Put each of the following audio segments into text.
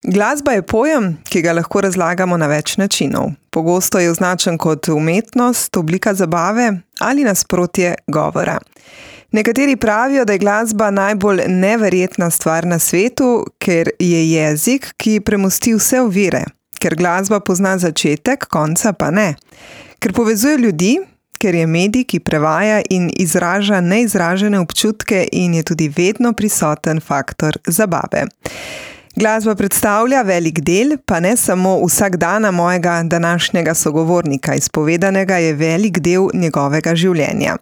Glasba je pojem, ki ga lahko razlagamo na več načinov. Pogosto je označen kot umetnost, oblika zabave ali nasprotje govora. Nekateri pravijo, da je glasba najbolj neverjetna stvar na svetu, ker je jezik, ki premosti vse ovire. Ker glasba pozna začetek, konca pa ne. Ker povezuje ljudi, ker je medij, ki prevaja in izraža neizražene občutke in je tudi vedno prisoten faktor zabave. Glasba predstavlja velik del, pa ne samo vsakdana mojega današnjega sogovornika. Izpovedanega je velik del njegovega življenja.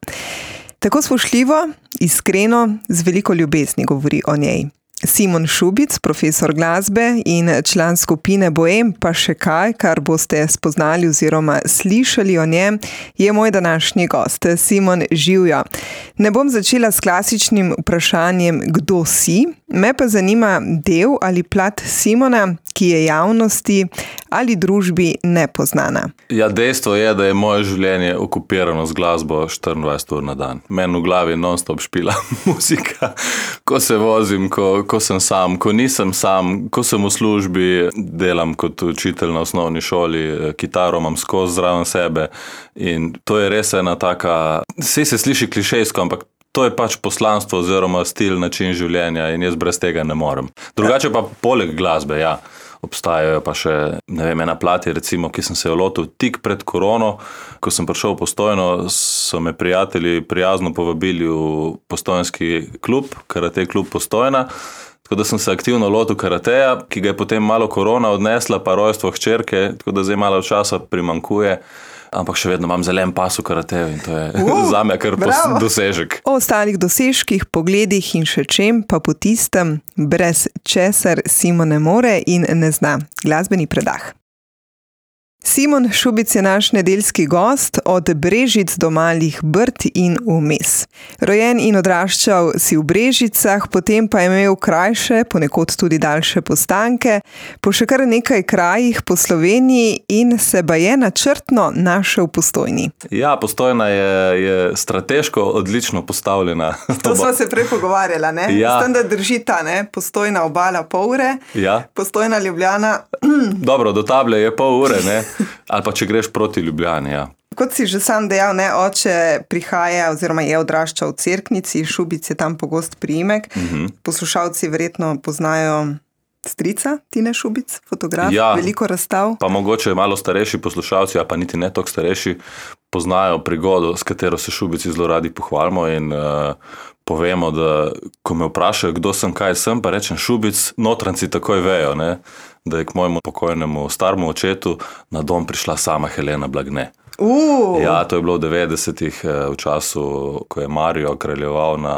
Tako spoštljivo, iskreno, z veliko ljubezni govori o njej. Simon Šubic, profesor glasbe in član skupine Bohem, pa še kaj, kar boste spoznali oziroma slišali o njem, je moj današnji gost. Simon, živjo. Ne bom začela s klasičnim vprašanjem, kdo si, me pa zanima del ali plat Simona, ki je javnosti ali družbi nepoznana. Ja, dejstvo je, da je moje življenje okupirano z glasbo 24 ur na dan. Meni v glavi non-stop špila muzika, ko se vozim, ko sem sam, ko nisem sam, ko sem v službi, delam kot učitelj na osnovni šoli, kitaro imam skozi zraven sebe in to je res ena taka, vse se sliši klišejsko, ampak to je pač poslanstvo oziroma stil, način življenja in jaz brez tega ne morem. Drugače pa poleg glasbe, ja. Obstajajo pa še, ena plati, recimo, ki sem se jo lotil tik pred korono. Ko sem prišel v Postojno, so me prijatelji prijazno povabili v postojnski klub, karate klub Postojna. Tako da sem se aktivno lotil karateja, ki ga je potem malo korona odnesla, pa rojstvo hčerke, tako da zdaj malo časa primanjkuje. Ampak še vedno imam zelen pas v karateju in to je zame kar dosežek. O ostalih dosežkih, pogledih in še čem pa po tistem, brez česar Simon ne more in ne zna. Glasbeni predah. Simon Šubic je naš nedeljski gost od Brežic do Malih Brd in vmes. Rojen in odraščal si v Brežicah, potem pa je imel krajše, ponekod tudi daljše postanke, po še kar nekaj krajih po Sloveniji in se baje načrtno našel v Postojni. Ja, Postojna je strateško odlično postavljena. To sva se prej pogovarjala, ne? Ja. S tem, da drži ta, ne? Postojna obala pol ure, ja. Postojna Ljubljana. Dobro, do Table je pol ure, ne? Ali pa če greš proti Ljubljani, ja. Kot si že sam dejal, ne, oče prihaja oziroma je odraščal v Cerknici, Šubic je tam pogost priimek. Poslušalci verjetno poznajo strica Tine Šubic, fotograf, ja, veliko razstav. Pa mogoče malo starejši poslušalci, a pa niti ne toliko starejši, poznajo prigodo, s katero se Šubici zelo radi pohvalimo in povemo, da ko me vprašajo, kdo sem, kaj sem, pa rečem Šubic, notranci takoj vejo, ne, da je k mojemu pokojnemu staremu očetu na dom prišla sama Helena Blagne. Ja, to je bilo v 90-ih, v času, ko je Mario kraljeval na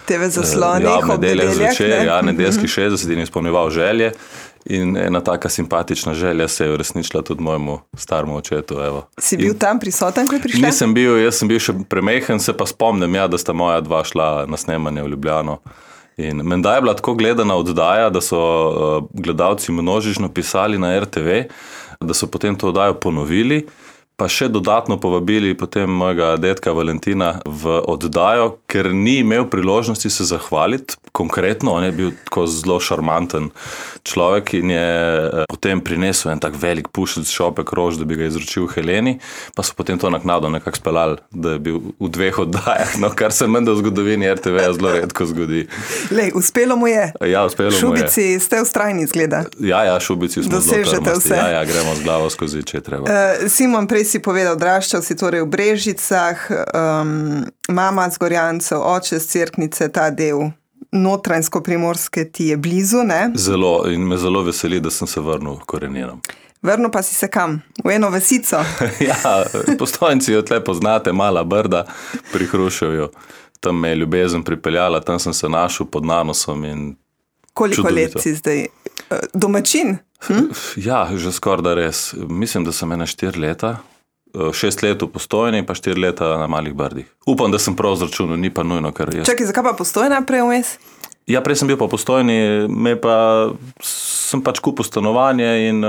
TV zaslonih, ob nedeljah zvečer, ja, nedeljskih 60 in izpolnjeval želje. In ena taka simpatična želja se je uresničila tudi mojemu staremu očetu. Evo. Si bil tam prisoten, ko je prišla? Nisem bil, jaz sem bil še premehen, se pa spomnim, ja, da sta moja dva šla na snemanje v Ljubljano. In menda je bila tako gledana oddaja, da so gledalci množično pisali na RTV, da so potem to oddajo ponovili, pa še dodatno povabili potem mojega dedka Valentina v oddajo, ker ni imel priložnosti se zahvaliti konkretno, on je bil tako zelo šarmanten človek in je potem prinesel en tak velik pušec šopek rož, da bi ga izročil Heleni, pa so potem to naknadno nekako speljali, da je bil v 2 oddajah, no, kar se menda v zgodovini RTV zelo redko zgodi. Lej, uspelo mu je. Ja, uspelo mu je. Šubici ste ustrajni, zgleda. Ja, Šubici smo zelo trmasti. Ja, gremo z glavo skozi, če je treba. Simon, prej si povedal, odraščal si torej v Brežicah, mama z Gorjancev, oče z Cerknice, ta del Notranjsko-Primorske ti je blizu, ne? Zelo, in me zelo veseli, da sem se vrnil k koreninam. Vrnil pa si se kam? V eno vasico? Ja, Postojnci jo tle poznate, Mala Brda pri Hruševju. Tam me je ljubezen pripeljala, tam sem se našel pod nanosom in koliko čudovito. let si zdaj? Domačin? Ja, že skoraj da res. Mislim, da sem 4 leta. 6 let v Postojni, pa 4 leta na Malih Brdih. Upam, da sem prav zračunal, ni pa nujno, ker jaz... Čakaj, zakaj pa Postojna prej vmes? Ja, prej sem bil pa v Postojni, sem pač kupil stanovanje in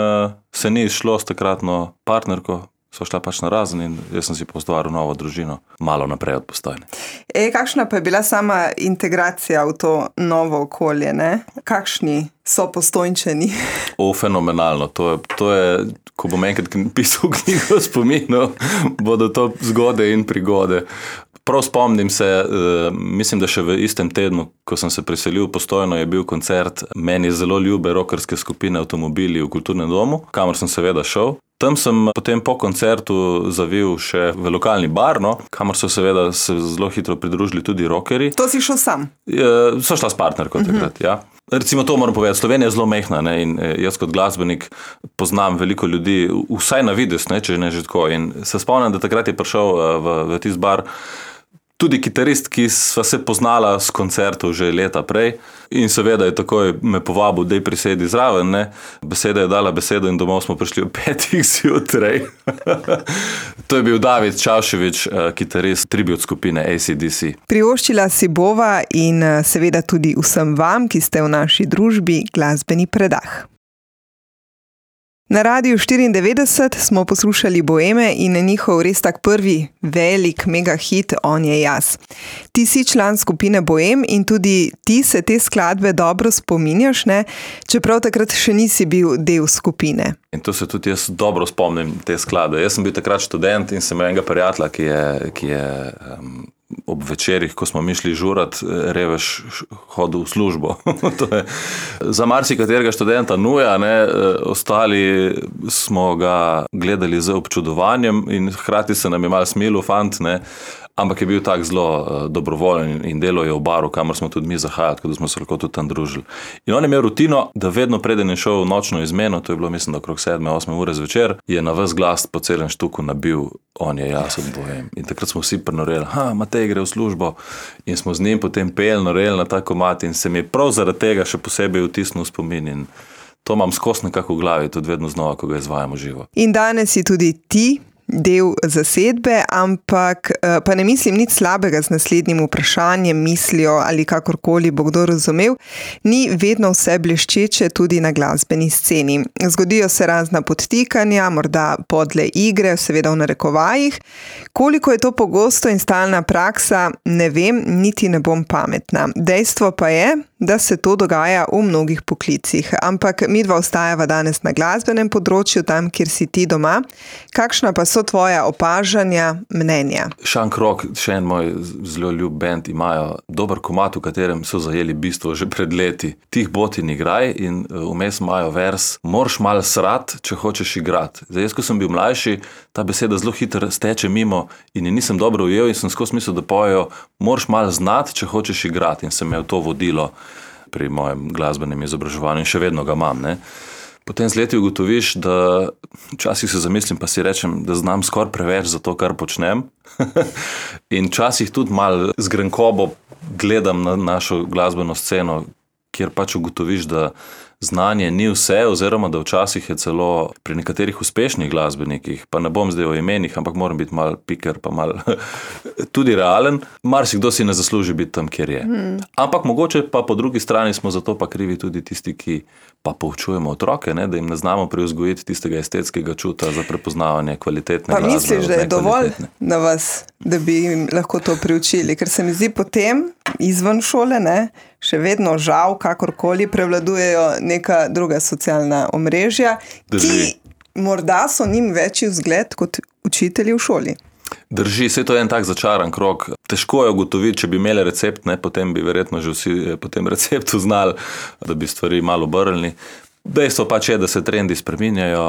se ni izšlo s takratno partnerko, sva šla pač na razen in jaz sem si poustvaril novo družino, malo naprej od Postojne. Kakšna pa je bila sama integracija v to novo okolje, ne? Kakšni so Postojnčani? Fenomenalno. To je, ko bom enkrat pisal knjigo spominov, bodo to zgode in prigode. Prav spomnim se, mislim, da še v istem tednu, ko sem se priselil v Postojno, je bil koncert meni zelo ljube rockerske skupine Avtomobili v Kulturnem domu, kamor sem seveda šel. Tam sem potem po koncertu zavil še v lokalni bar, kamor so seveda se zelo hitro pridružili tudi rockerji. To si šel sam? So šla s partnerko takrat, ja. Recimo to moram povedati, Slovenija je zelo mehna, ne, in jaz kot glasbenik poznam veliko ljudi, vsaj na vides, ne, če ne že tako. In se spomnim, da takrat je prišel v tisti bar tudi kitarist, ki sva se poznala s koncertov že leta prej in seveda je takoj me povabil, dej prisedi zraven, ne. Beseda je dala besedo in domov smo prišli ob 5 zjutraj. To je bil David Čavševič, kitarist tribute skupine AC/DC. Privoščila si bova in seveda tudi vsem vam, ki ste v naši družbi, glasbeni predah. Na Radiu 94 smo poslušali Boeme in njihov res tak prvi velik mega hit On je jaz. Ti si član skupine Boem in tudi ti se te skladbe dobro spominjaš, ne? Čeprav takrat še nisi bil del skupine. In to se tudi jaz dobro spomnim te skladbe. Jaz sem bil takrat študent in sem imel enega prijatelja, ki je ob večerih, ko smo mi šli žurat, revež hodil v službo. To je za marsikaterega študenta nuja, ne, ostali smo ga gledali z občudovanjem in hkrati se nam je malo smilil fant, ne, ampak je bil tak zelo dobrovoljen in delo je v baru, kamor smo tudi mi zahajali, tako da smo se lahko tudi tam družili. In on je imel rutino, da vedno preden je šel v nočno izmeno, to je bilo mislim, da okrog 7-8 ure zvečer, je na ves glas po celem štuku nabil On je jaz od Boem. In takrat smo vsi prinoreli, Matej gre v službo in smo z njim potem peli, noreli na ta komad in se mi je prav zaradi tega še posebej vtisnil spomin in to imam skos nekako v glavi, tudi vedno znova, ko ga izvajamo živo. In danes si tudi ti del zasedbe, ampak pa ne mislim nič slabega z naslednjim vprašanjem, mislijo ali kakorkoli bo kdo razumel, ni vedno vse bleščeče tudi na glasbeni sceni. Zgodijo se razna podtikanja, morda podle igre, seveda v narekovajih. Koliko je to pogosto in stalna praksa, ne vem, niti ne bom pametna. Dejstvo pa je, da se to dogaja v mnogih poklicih, ampak midva ostajava danes na glasbenem področju, tam, kjer si ti doma. Kakšna pa so tvoja opažanja, mnenja? Šank Rock, še en moj zelo ljub band, imajo dober komad, v katerem so zajeli bistvo že pred leti. Tih bot in igraj in vmes imajo vers, moraš malo srat, če hočeš igrat. Zdaj, jaz, ko sem bil mlajši, ta beseda zelo hitro steče mimo in je nisem dobro ujel in sem skozi mislil, da pojejo, moraš malo znat, če hočeš igrat, in sem imel to vodilo pri mojem glasbenem izobraževanju in še vedno ga imam, ne. Potem z leti ugotoviš, da včasih se zamislim, pa si rečem, da znam skoraj preveč za to, kar počnem. In včasih tudi malo z grenkobo gledam na našo glasbeno sceno, kjer pač ugotoviš, da znanje ni vse, oziroma da včasih je celo pri nekaterih uspešnih glasbenikih, pa ne bom zdaj o imenih, ampak moram biti malo piker, pa malo tudi realen, marsikdo si ne zasluži biti tam, kjer je. Ampak mogoče pa po drugi strani smo zato pa krivi tudi tisti, ki pa poučujemo otroke, ne, da jim ne znamo privzgojiti tistega estetskega čuta za prepoznavanje kvalitetne glasbe. Pa misliš, da je dovolj na vas, da bi jim lahko to priučili? Ker se mi zdi potem izven šole, ne, še vedno žal, kakorkoli prevladujejo neka druga socialna omrežja, ki morda so njim večji vzgled kot učitelji v šoli. Drži, vse to je en tak začaran krog. Težko je ugotoviti, če bi imeli recept, ne, potem bi verjetno že vsi po tem receptu znali, da bi stvari malo obrnili. Dejstvo pač je, da se trendi spreminjajo,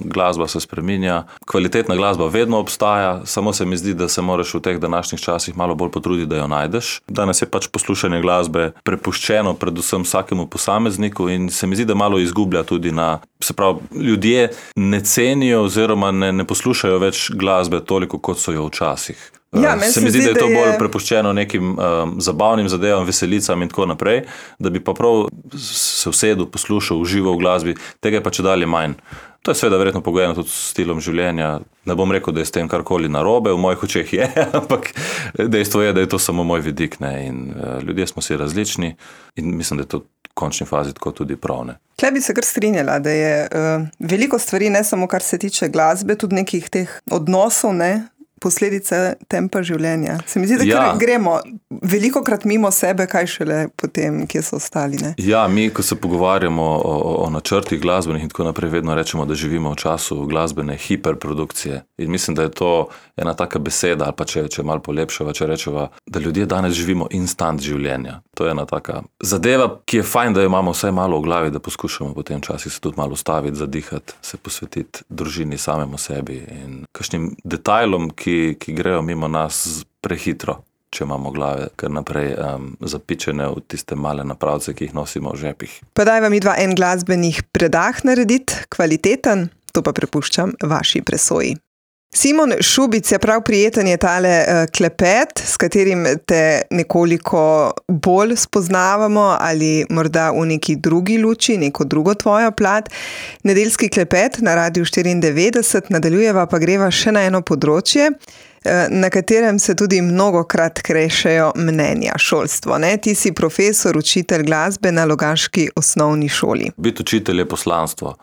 glasba se spreminja, kvalitetna glasba vedno obstaja, samo se mi zdi, da se moraš v teh današnjih časih malo bolj potruditi, da jo najdeš. Danes je pač poslušanje glasbe prepuščeno predvsem vsakemu posamezniku in se mi zdi, da malo izgublja tudi se pravi, ljudje ne cenijo oziroma ne poslušajo več glasbe toliko, kot so jo včasih. Ja, se mi zdi, da je to bolj prepuščeno nekim zabavnim zadevam, veselicam in tako naprej, da bi pa prav se usedel, poslušal, užival v glasbi, tega je pa čedalje manj. To je seveda verjetno pogojeno tudi s stilom življenja. Ne bom rekel, da je s tem karkoli narobe, v mojih očeh je, ampak dejstvo je, da je to samo moj vidik, ne? In ljudje smo si različni in mislim, da je to v končni fazi tako tudi prav, ne. Tle bi se kar strinjala, da je veliko stvari, ne samo kar se tiče glasbe, tudi nekih teh odnosov, ne, posledice tempa življenja. Se mi zdi, da kar gremo velikokrat mimo sebe, kaj šele potem, kje so ostali, ne? Ja, mi, ko se pogovarjamo o načrtih glasbenih in tako naprej, vedno rečemo, da živimo v času glasbene hiperprodukcije. In mislim, da je to ena taka beseda, ali pa če malo polepšava, če rečeva, da ljudje danes živimo instant življenja. To je ena taka zadeva, ki je fajn, da jo imamo vsaj malo v glavi, da poskušamo potem časih se tudi malo ustaviti, zadihati, se posvetiti družini, samemu sebi in kakšnim detajlom, ki grejo mimo nas prehitro, če imamo glave kar naprej zapičene v tiste male napravce, ki jih nosimo v žepih. Pa daj vam midva en glasbenih predah narediti, kvaliteten, to pa prepuščam vaši presoji. Simon Šubic je prav prijeten je tale klepet, s katerim te nekoliko bolj spoznavamo ali morda v neki drugi luči, neko drugo tvojo plat. Nedeljski klepet na Radiu 94, nadaljujeva pa greva še na eno področje, na katerem se tudi mnogokrat krešejo mnenja, šolstvo, ne? Ti si profesor, učitelj glasbe na logaški osnovni šoli. Biti učitelj je poslanstvo.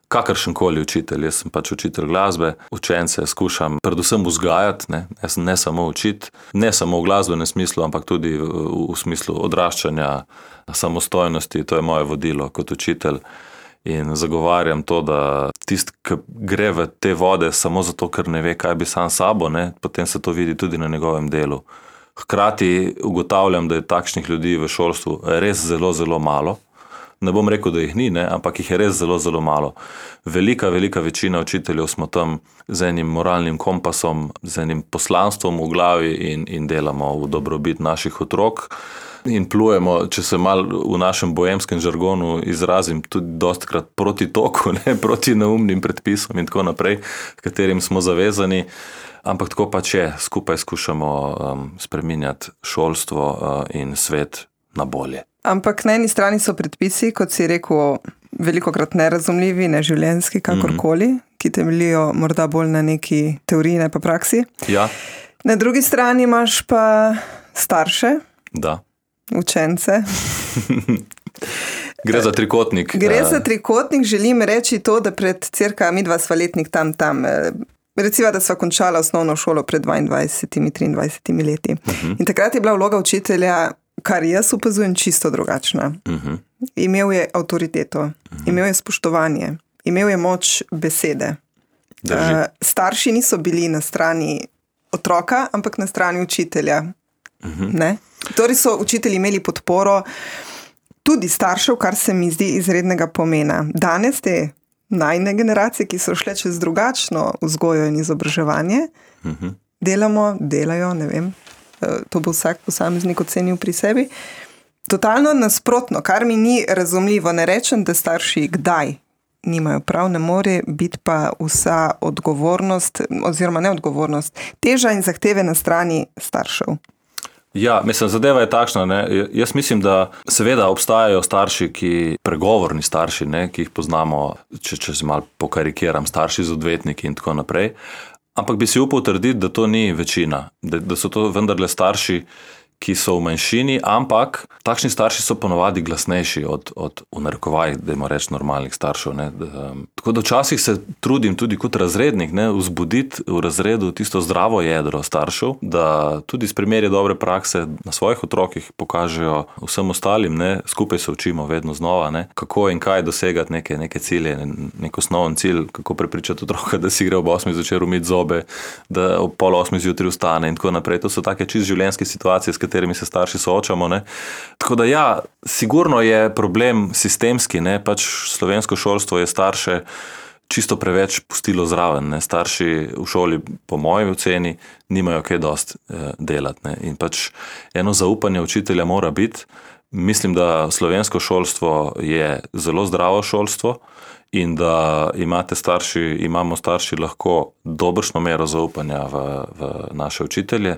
Kakršenkoli učitelj, jaz sem pač učitelj glasbe, učence skušam predvsem vzgajati, ne samo učiti, ne samo v glasbenem smislu, ampak tudi v smislu odraščanja, samostojnosti, to je moje vodilo kot učitelj. In zagovarjam to, da tisti, ki gre v te vode samo zato, ker ne ve, kaj bi sam sabo, potem se to vidi tudi na njegovem delu. Hkrati ugotavljam, da je takšnih ljudi v šolstvu res zelo, zelo malo. Ne bom rekel, da jih ni, ampak jih je res zelo, zelo malo. Velika večina učiteljev smo tam z enim moralnim kompasom, z enim poslanstvom v glavi in delamo v dobrobit naših otrok. In plujemo, če se malo v našem bohemskem žargonu izrazim, tudi dostikrat proti toku, proti neumnim predpisom in tako naprej, katerim smo zavezani. Ampak tako pač je, skupaj skušamo spreminjati šolstvo in svet na bolje. Ampak na eni strani so predpisi, kot si rekel, velikokrat nerazumljivi, neživljenjski, kakorkoli, ki temeljijo morda bolj na neki teoriji, ne pa praksi. Ja. Na drugi strani imaš pa starše, učence. Gre za trikotnik. Gre za trikotnik, želim reči to, da pred cirka midva sva letnik tam, recimo, da sva končala osnovno šolo pred 22-23 leti. In takrat je bila vloga učitelja, kar jaz opazujem, čisto drugačna. Imel je avtoriteto, imel je spoštovanje, imel je moč besede. Starši niso bili na strani otroka, ampak na strani učitelja. Torej so učitelji imeli podporo tudi staršev, kar se mi zdi izrednega pomena. Danes te najne generacije, ki so šle čez drugačno vzgojo in izobraževanje, delajo, ne vem, to bo vsak posameznik ocenil pri sebi. Totalno nasprotno, kar mi ni razumljivo. Ne rečem, da starši kdaj nimajo prav, ne more biti pa vsa odgovornost, oziroma neodgovornost, teža in zahteve na strani staršev. Ja, mislim, zadeva je takšna, Jaz mislim, da seveda obstajajo starši, pregovorni starši, ki jih poznamo, če se malo pokarikiram, starši z odvetniki in tako naprej. Ampak bi si upal trditi, da to ni večina, da so to vendarle starši, ki so v manjšini, ampak takšni starši so ponovadi glasnejši od v narekovajih, dajmo reči, normalnih staršev. Tako da včasih se trudim tudi kot razrednik vzbuditi v razredu tisto zdravo jedro staršev, da tudi s primeri dobre prakse na svojih otrokih pokažejo vsem ostalim, skupaj se učimo vedno znova, kako in kaj dosegati neke cilje, nek osnoven cilj, kako prepričati otroka, da si gre ob 8 zvečer umiti zobe, da ob 7:30 zjutraj vstane in tako naprej. To so take čisto življenjske situacije, s katerimi se starši soočamo. Tako da ja, sigurno je problem sistemski, pač slovensko šolstvo je starše čisto preveč pustilo zraven. Starši v šoli, po moji oceni, nimajo kaj dosti delati. In pač eno zaupanje učitelja mora biti. Mislim, da slovensko šolstvo je zelo zdravo šolstvo in da imamo starši lahko dobršno mero zaupanja v naše učitelje.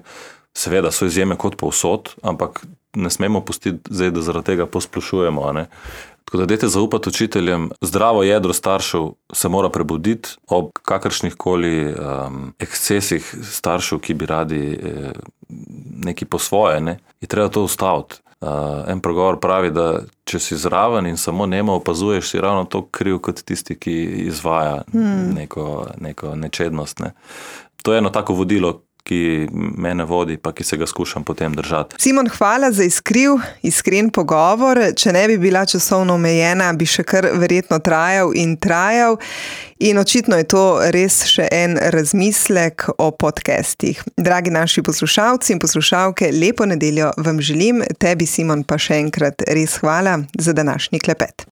Seveda so izjeme kot povsod, ampak ne smemo pustiti zdaj, da zaradi tega posplošujemo. Tako da dajte zaupati učiteljem, zdravo jedro staršev se mora prebuditi ob kakršnih koli ekscesih staršev, ki bi radi nekaj po svoje, ne? Je treba to ustaviti. En pregovor pravi, da če si zraven in samo nemo opazuješ, si ravno to kriv kot tisti, ki izvaja neko nečednost. Ne? To je eno tako vodilo, ki mene vodi, pa ki se ga skušam potem držati. Simon, hvala za iskren pogovor. Če ne bi bila časovno omejena, bi še kar verjetno trajal. In očitno je to res še en razmislek o podcastih. Dragi naši poslušalci in poslušalke, lepo nedeljo vam želim. Tebi, Simon, pa še enkrat res hvala za današnji klepet.